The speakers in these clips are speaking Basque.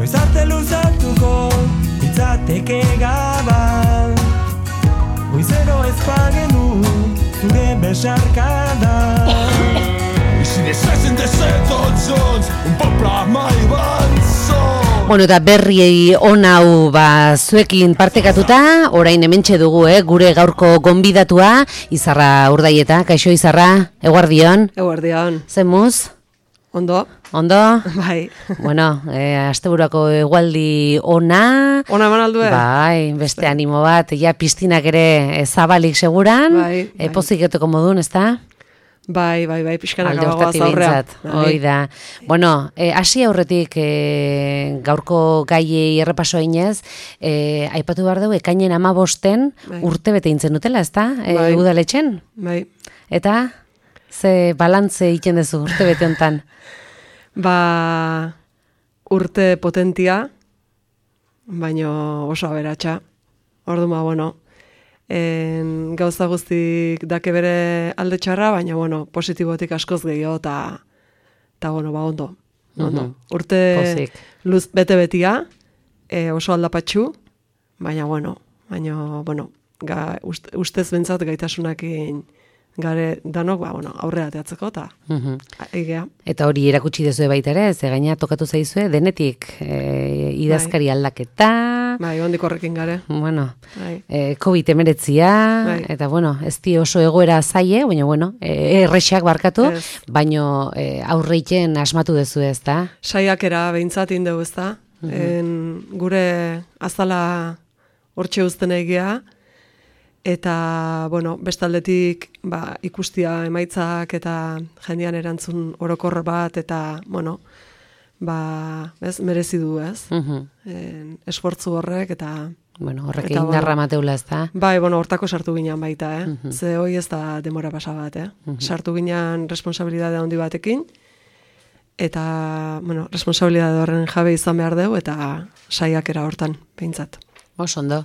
noiz arte luzatuko itzateke gaban. Goizero ez pagenu zure besarkada. Si deshazen desetontzons, un popla mai bantzon. Bueno, eta berriei hau zuekin partekatuta, orain hementxe dugu, gure gaurko gonbidatua, Izarra Urdaieta. Kaixo Izarra, eguardion. Eguardion. Zemuz? Ondo. Ondo? Bai. Bueno, asteburako egualdi ona. Ona eman aldue? Bai, beste animo bat, ja piztinak ere zabalik seguran. Bai. Poziketeko modun, ezta? Bai, pixkanak abagoaz aurrean. Hoi da. Bueno, hasi aurretik gaurko gaiei errepasoa inez, aipatu behar dugu, ekainen 15 urte bete intzen dutela, ezta? Udaletxen? Bai. Eta, ze balantze egiten duzu urte bete hontan? Urte potentia, baino oso aberatsa. Orduan, bueno, gauza guztik dake bere alde txarra, baina, bueno, positibotik askoz gehiago, eta bueno, ondo. Urte luz bete-betia, oso aldapatxu, baina, bueno, ustez bentsat gaitasunakin gare danok, aurrera teatzeko, eta egea. Eta hori erakutsi dezue baita ere, ze gaina tokatu zaizue, denetik idazkari aldaketa. Bai, ondik horrekin gare. Bueno, COVID-19, eta bueno, ez di oso egoera zaie, baina bueno, errexak barkatu, baina aurreiken asmatu dezu ez da? Saiakera behintzat indegu ez da. Gure azala hortxe uzten egia, eta, bueno, bestaldetik ikustia emaitzak eta jendean erantzun orokor bat, eta, bueno, merezi du, ez? Esfortzu horrek, eta... Bueno, horrek indarra mateula, ez da? Bai, bueno, hortako sartu ginean baita, Ze hoi ez da demora pasa bat, Sartu ginean responsabilidade handi batekin, eta, bueno, responsabilidade horren jabe izan behar dugu, eta saiakera hortan, behintzat. Ondo.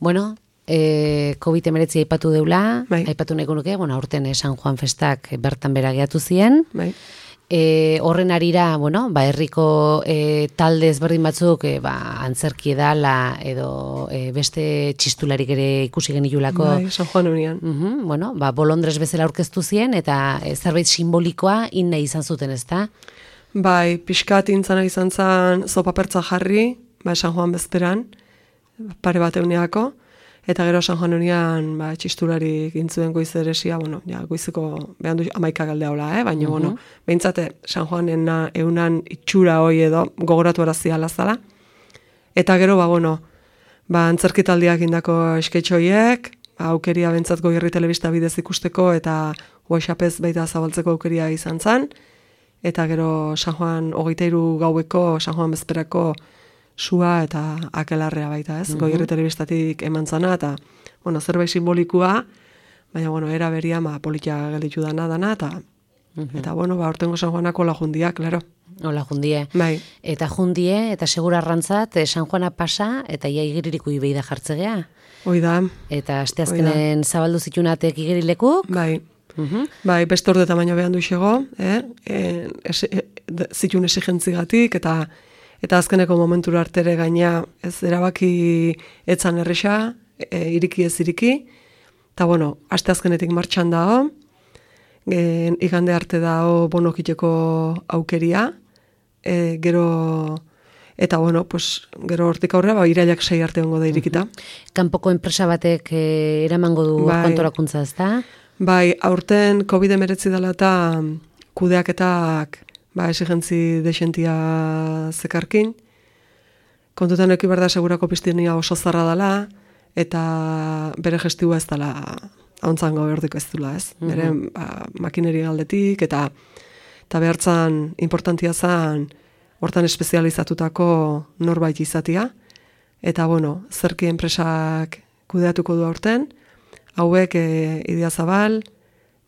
Bueno, COVID-19 aipatu deula, aipatu nahiko nuke, bueno, aurten San Juan festak bertan bera gehatu ziren. Bai. Horren arira, bueno, herriko talde ezberdin batzuk antzerki edala edo beste txistularik ere ikusi genilulako. Bai, San Juan unian. Bueno, bolondrez bezala aurkeztu zien eta zerbait simbolikoa inna izan zuten, ezta? Bai, pixkat intzana izan zen zopapertza jarri, San Juan bezperan, pare bat euneako. Eta gero San Juan unian txistularik intzuen goizeresia, bueno, goizeko behan du 11 galdea hola, baina, bueno, behintzate San Juanen eunan itxura hoi edo gogoratu arazia lazala. Eta gero, antzerkitaldiak indako esketxoiek, aukeria bentsat Goierri telebista bidez ikusteko, eta WhatsAppez baita zabaltzeko aukeria izan zen. Eta gero San Juan 23 gaueko, San Juan bezperako sua eta akelarrea baita, ez? Goierri telebistatik eman zana, eta, bueno, zerbait simbolikua, baina, bueno, era beria, politia gelditu dana, eta, bueno, hortengo San Juanako la jundia, klaro. Ola jundie. Bai. Eta jundie, eta segura arrantzat, San Juana pasa, eta ia igeririko ibei da jartzegea. Hoi da. Eta asteazkenen zabaldu zitunatek igerilekuk. Bai. Bai, beste orde tamaino behan duixego, zitun esigentzigatik, eta azkeneko momentura artere gaina ez erabaki etzan erresa, iriki ez iriki, eta bueno, aste azkenetik martxan dago, igande arte dago bonokiteko aukeria, gero, eta bueno, gero hortik aurrera, irailak 6 arte ongo da irikita. Kanpoko enpresa batek eramango du kontorakuntza, ez da? Bai, aurten COVID-19 dela eta kudeaketak esigentzi desentia zekarkin. Kontutan eki behar da segurako piztinia oso zarra dela, eta bere gestua ez dela hauntzango behordiko ez dula, ez? Bere makineri galdetik, eta behartzan importantia zen hortan espezializatutako norbait izatia. Eta, bueno, zerki enpresak kudeatuko du aurten, hauek Idiazabal,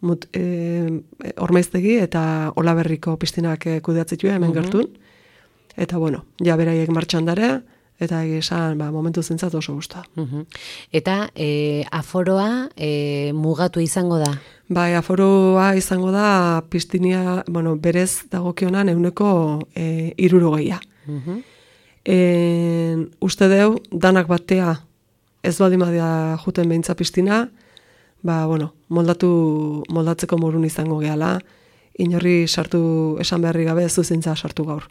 Ormaiztegi eta Olaberriko piztinak kudeatzitua hemen gertun. Eta, bueno, ja beraiek martxan dare, eta esan momentu zentzat oso gusta. Eta aforoa mugatu izango da? Bai, aforoa izango da piztinia, berez dagokionan 60%. Uste deu, danak batea ez baldin badia juten behintza piztina, moldatzeko morun izango gehala, inorri sartu esan beharri gabe zuzintza sartu gaur.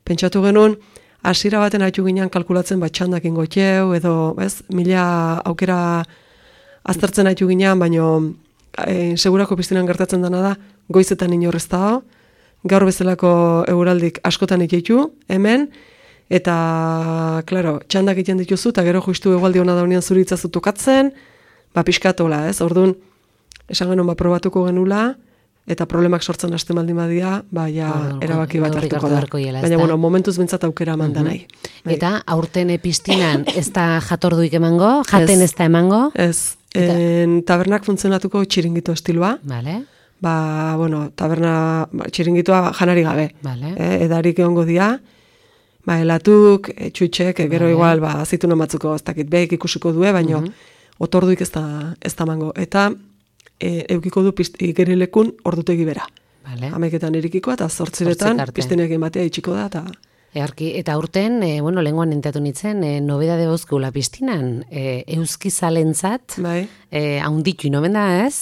Pentsatu genuen, hasiera baten haitu ginen kalkulatzen txandak ingotxeu, edo, mila aukera aztertzen haitu ginen, baino segurako piztinan gertatzen dena da, goizetan inorrez dago, gaur bezalako eguraldik askotan itxeitu, hemen, eta, klaro, txandak egiten dituzu, eta gero justu egualdi hona daunean zuritzazu tokatzen, pixkatola, orduan, esan genuen probatuko genula, eta problemak sortzen hasten baldin badia, erabaki bat hartuko da. Baina, momentuz bintzat aukera eman da nahi. Eta, aurten piztinan ez da jatorduik emango, jaten ez da emango? Ez, tabernak funtzionatuko txiringito estiloa. Vale. Taberna txiringitoa janari gabe. Vale. Edarik egongo dia, elatuk, txutxek, gero igual, azituna matzuko ez dakit behik ikusiko due, baina otorduik ez da mango. Eta eukiko du igerilekun ordutegi bera. Vale. Hameketan irikiko eta 8 piztinekin batea itxiko da. Eta aurten, lehenguan enteatu nintzen, nobedade bozkula piztinan, euskizalentzat, haunditu inomen da, ez?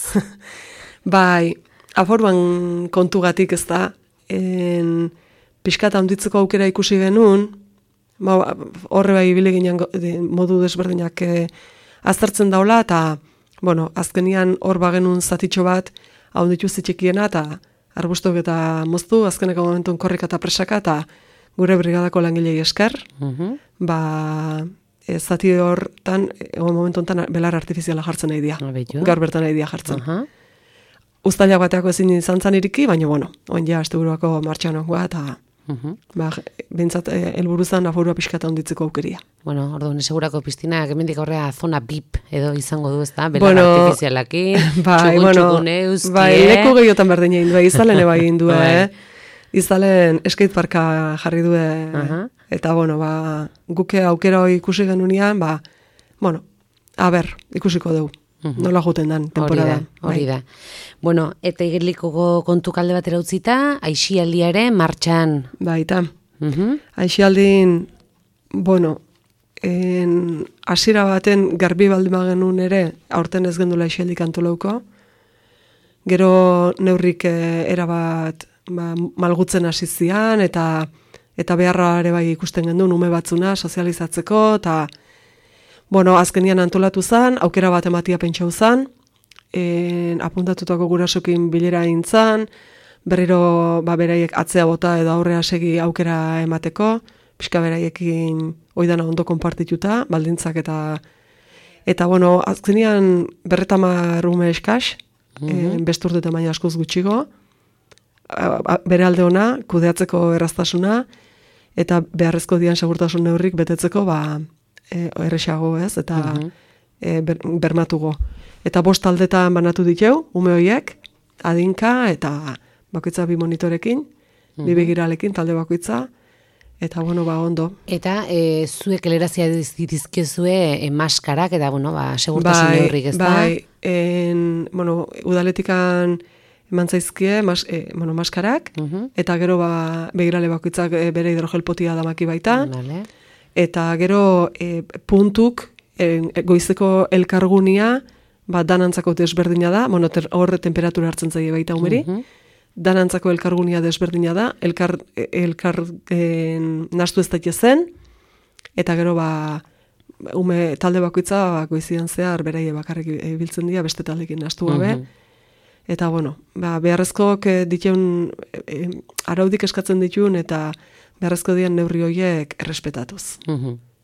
Bai, aforban kontugatik ez da, pixkat haunditzeko aukera ikusi genuen, horre bai ibile ginen modu desberdinak aztertzen daula, eta azkenian hor bagenun zatitxo bat haunditu zitxikiena, eta arbustok eta moztu, azkeneko momentun korrika eta presaka, eta gure brigadako langilei esker, zati hortan, momentu honetan belar artifiziala jartzen nahi dia, gaur bertan nahi dia jartzen. Uztailak bateako ezin izan zan iriki, baina, oin ja, asteburuako martxan ongoa, eta bintzat, helburuzan afurua pixkata honditzeko aukeria. Orduan, segurako piztina, gemendik aurrea zona BIP edo izango du, ez da? Belar artifizialakin, txugun euski, leku gehiotan berdin egin du, izalen eba egin du, izalen skateparka jarri du, eta, guke aukera hori ikusi genunean, ikusiko dugu. Nola juten dan, temporada. Hori da. Eta igerlikoko kontu kalde batera utzita, aixialdiare martxan. Baita. Aixialdin, hasiera baten garbi baldin genuen ere, aurten ez gendula aixialdik antolauko. Gero neurrik erabat malgutzen hasi zian, eta beharra ere bai ikusten genduen ume batzuna sozializatzeko, eta azkenian antolatu zen, aukera bat ematia pentsau zen, apuntatutako gurasokin bilera egin zen, berriro beraiek atzea bota edo aurrea segi aukera emateko, pixka beraiekin oidana ondo konpartituta, baldintzak eta azkenian 50 ume eskaz, besturte baina askoz gutxigo, bere alde ona, kudeatzeko erraztasuna, eta beharrezko dian segurtasun neurrik betetzeko, erresago ez, eta bermatugo. Eta 5 taldetan banatu diteu, ume horiek, adinka, eta bakoitza 2 monitorekin, 2 begiralekin talde bakoitza, eta ondo. Eta zuek elerazia ditizkezue maskarak, eta segurtasun neurrik ez da? Udaletikan eman zaizkie maskarak, eta gero begirale bakoitzak bere hidrogelpotia damaki baita, eta gero puntuk goizeko elkargunia danantzako desberdina da, horre temperatura hartzen zaie baita umeri, danantzako elkargunia desberdina da, elkar nastu ez daitezen, eta gero ume talde bakoitza goizian zehar beraie bakarrik biltzen dira beste taldekin nastu gabe, eta beharrezkoak dituen araudik eskatzen dituen, eta beharrezko dian neurri horiek errespetatuz.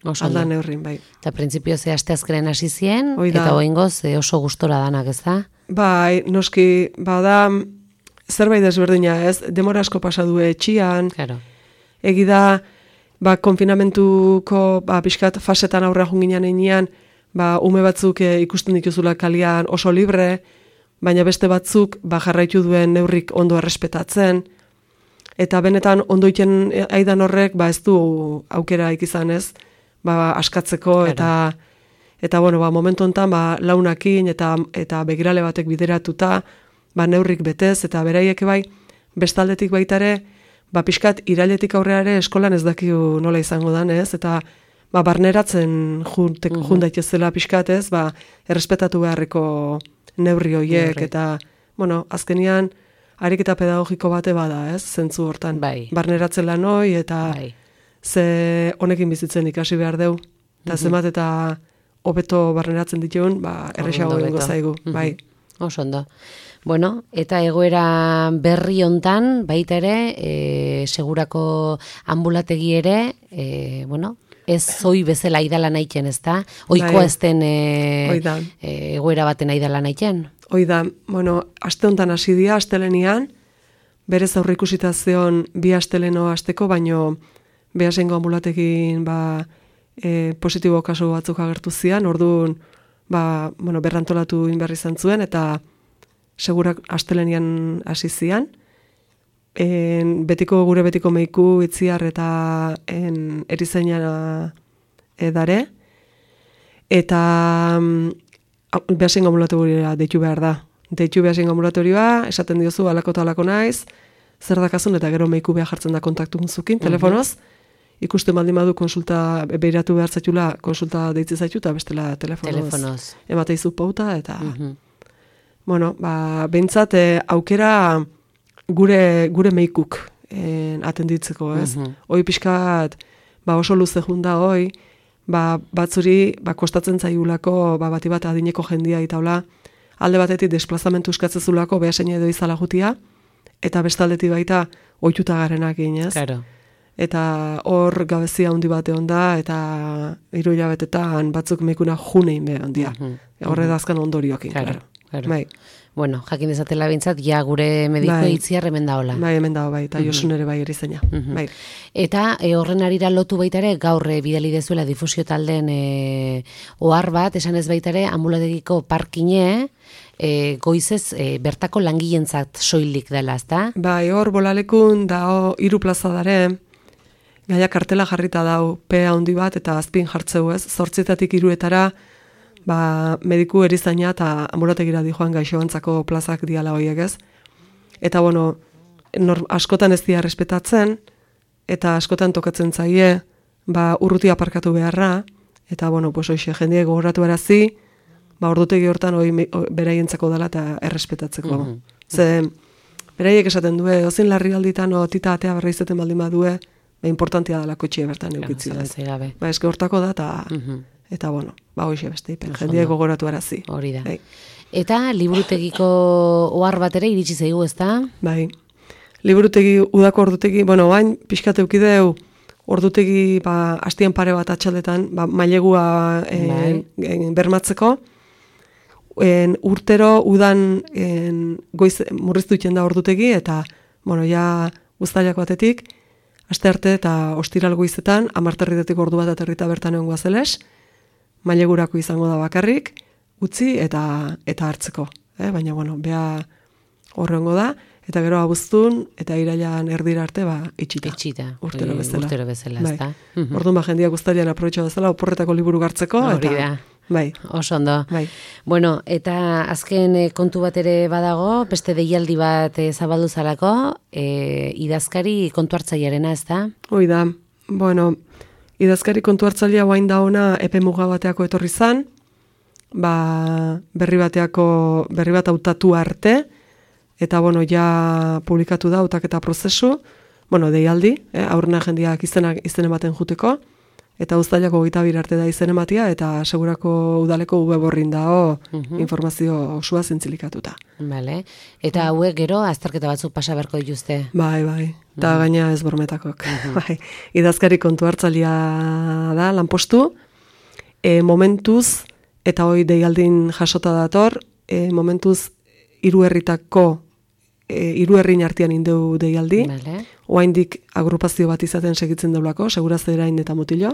Alda neurrin, bai. Eta printzipio ze asteazkenen hasi zien, eta oingoz oso gustora danak, ez da? Bai, noski, da zerbait desberdina, ez? Demora asko pasadu etxian, egi da, konfinamentuko pixkat fasetan aurra junginan enean, ume batzuk ikusten dituzula kalian oso libre, baina beste batzuk jarraitu duen neurrik ondo errespetatzen, eta benetan ondoiten aidan horrek ez du aukera ikizan ez, askatzeko, eta momentu honetan launakin eta begirale batek bideratuta neurrik betez, eta beraiek bestaldetik baitare pixkat irailetik aurrera ere eskolan ez dakigu nola izango dan, ez? Eta barneratzen daitezela pixkat, ez? Errespetatu beharreko neurri horiek, eta, bueno, azkenian, ariketa pedagogiko bate bada, ez? Zentzu hortan. Barneratzen lan hoi, eta ze honekin bizitzen ikasi behar deu. Eta zenbat eta hobeto barneratzen dituen, erresago egingo zaigu. Bai. Oso ondo. Bueno, eta egoera berri hontan, baita ere, segurako ambulategi ere, bueno, ez zoi bezala aidala nahiken, ez da? Oikoa ez den egoera baten aidala nahiken? Hoi da, bueno, aste hontan hasi dira, astelenian, berez aurre ikusita zeon bi asteleno asteko, baino behasengo ambulategin positibo kasu batzuk agertu zian, orduan, bueno, berrantolatu inberri izan zuen, eta segurak astelenian hasi zian. Gure betiko meiku itziar eta erizaina dare. Eta behasengo ambulatorioa deitu behar da. Deitu behasengo ambulatorioa, esaten diozu, alako eta alako naiz, zer dakazun, eta gero meiku behar jartzen da kontaktu zukin, telefonoz. Ikusten baldin badu konsulta, behiratu behar zaitula, konsulta deitze zaitu, eta bestela telefonoz. Emateizu pauta, eta... Bueno, behintzat, aukera gure meikuk atenditzeko, ez? Hoi pixkat, oso luze junda hoi, batzuri kostatzen zaiulako, bati bat adineko jendia itaula, alde batetik desplazamentu eskatzezulako behasen edo izala jutia, eta bestaldetik baita ohituta garenak ez? Claro. Eta hor gabezia handi bate onda, eta 3 hilabetetan batzuk meikuna junein behar handia. Horre dazkan ondoriokin, claro. Bai. Bueno, jakin dezatela bintzat, ja gure mediko itziar hemen da hola. Bai, hemen da, eta Josun ere bai erizaina. Bai. Eta horren arira lotu baitare, gaur bidali dezuela difusio talden ohar bat, esan ez baitare, ambulategiko parkine, goizez bertako langilentzat soilik dela, ezta? Bai, hor bolalekun da 3 plaza dare, gaia kartela jarrita dau, P handi bat, eta azpin jartzeu ez, 8-etatik 3-etara, mediku erizaina eta ambulategira di joan gaixoantzako plazak diala horiek ez. Eta bueno, askotan ez dira respetatzen, eta askotan tokatzen zaie, urrutia aparkatu beharra, eta bueno, pues hoxe, jendie gogoratu erazi, ordutegi hortan beraientzako dela eta errespetatzeko. Ze, beraiek esaten due, ozin larri alditan tita atea berra izeten baldin badue, importantia dela kotxie bertan eukitzi da. Eske hortako da, eta bueno, hoxe beste, jendie gogoratu erazi. Hori da. Eta liburutegiko ohar bat ere iritsi zaigu, ezta? Bai. Liburutegi, udako ordutegi, bueno, bain pixkat eukideu ordutegi hastien pare bat atxaldetan, mailegua bermatzeko. Urtero udan goiz murriztu iten da ordutegi, eta bueno, ja uztailak batetik, aste arte eta ostiral goizetan, 10:00 ordu bat aterrita bertan egon guazeles, mailegurako izango da bakarrik, utzi eta hartzeko. Baina, bueno, bea horrengo da, eta gero abuztun, eta irailan erdira arte, itxita. Urtero bezala, ezta? Orduan jendia guztarian aprobetxo bezala, oporretako liburu gartzeko, eta... Bai. Oso ondo. Bai. Bueno, eta azken kontu bat ere badago, beste deialdi bat zabaldu zalako, idazkari kontu hartzailearena, ezta? Hoi da. Bueno, idazkari kontu hartzailea guain da ona epe muga bateako etorri zan, berri bat hautatu arte, eta bueno, ja publikatu da hautaketa prozesu, bueno, deialdi, aurrena jendiak izen ematen juteko, eta uztailako 22 arte da izen ematia, eta segurako udaleko web horrin dao informazio osua zintzilikatuta. Vale. Eta hauek gero azterketa batzuk pasa beharko dituzte? Bai. Eta gaina ez bormetakok. Bai. Idazkari kontu hartzailea da, lanpostu, momentuz, eta hoi deialdin jasota dator, momentuz 3 herrin artean indeu deialdi, oaindik agrupazio bat izaten segitzen daulako, segurazerain eta mutilo,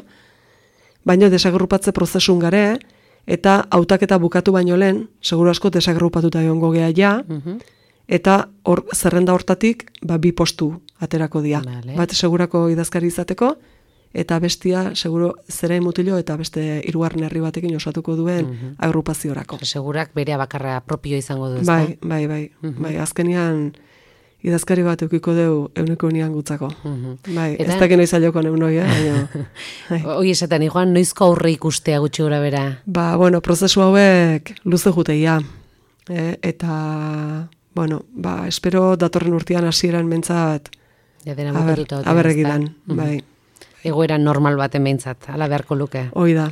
baina desagrupatze prozesun gare, eta hautaketa bukatu baino lehen, seguru asko desagrupatuta egongo gea ja, eta zerrenda hortatik 2 postu aterako dira. Bat segurako idazkari izateko, eta bestia, seguro, zerain mutilo eta beste 3. herri batekin osatuko duen agrupaziorako. Segurak berea bakarra propio izango du, Bai, azkenean idazkari bat eukiko deu euneko unian gutzako. Bai, ez dakit noiz alioko neunoi, baina... Hoi esaten, Joan, noizko aurre ikustea gutxi gura bera? Ba, bueno, prozesu hauek luze juteia. Eta, bueno, ba, espero datorren urtean hasieran mentzat aberregidan, bai. Egoera normal baten behintzat, ala beharko luke. Hoi da.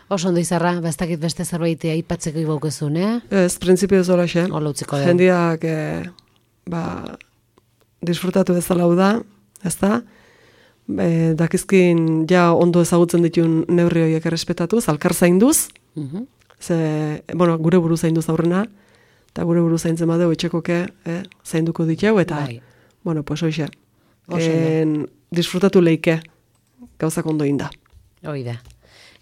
Oso ondo Izarra, ez beste zerbait aipatzeko ibaukezun, Ez, printzipio ez dola xe. Ola utziko da. Jendiak, disfrutatu bezala da, ez da? Dakizkin ja ondo ezagutzen ditun neurri horiek errespetatuz, alkar zainduz, bueno, gure buru zainduz aurrena, eta gure buru zaintzen badeu etxekoke zainduko diteu, eta, bueno, pues hoxe, disfrutatu leike gauzak ondo inda. Hoi da.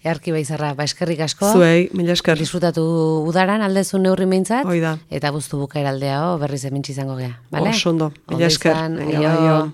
Earki Izarra, eskerrik asko. Zuei, mila esker. Disfrutatu udaran aldezu neurri meintzat. Hoi da. Eta guztu bukaera aldea berriz emintzi izango gea. Vale? Oso ondo, mila esker. Aio.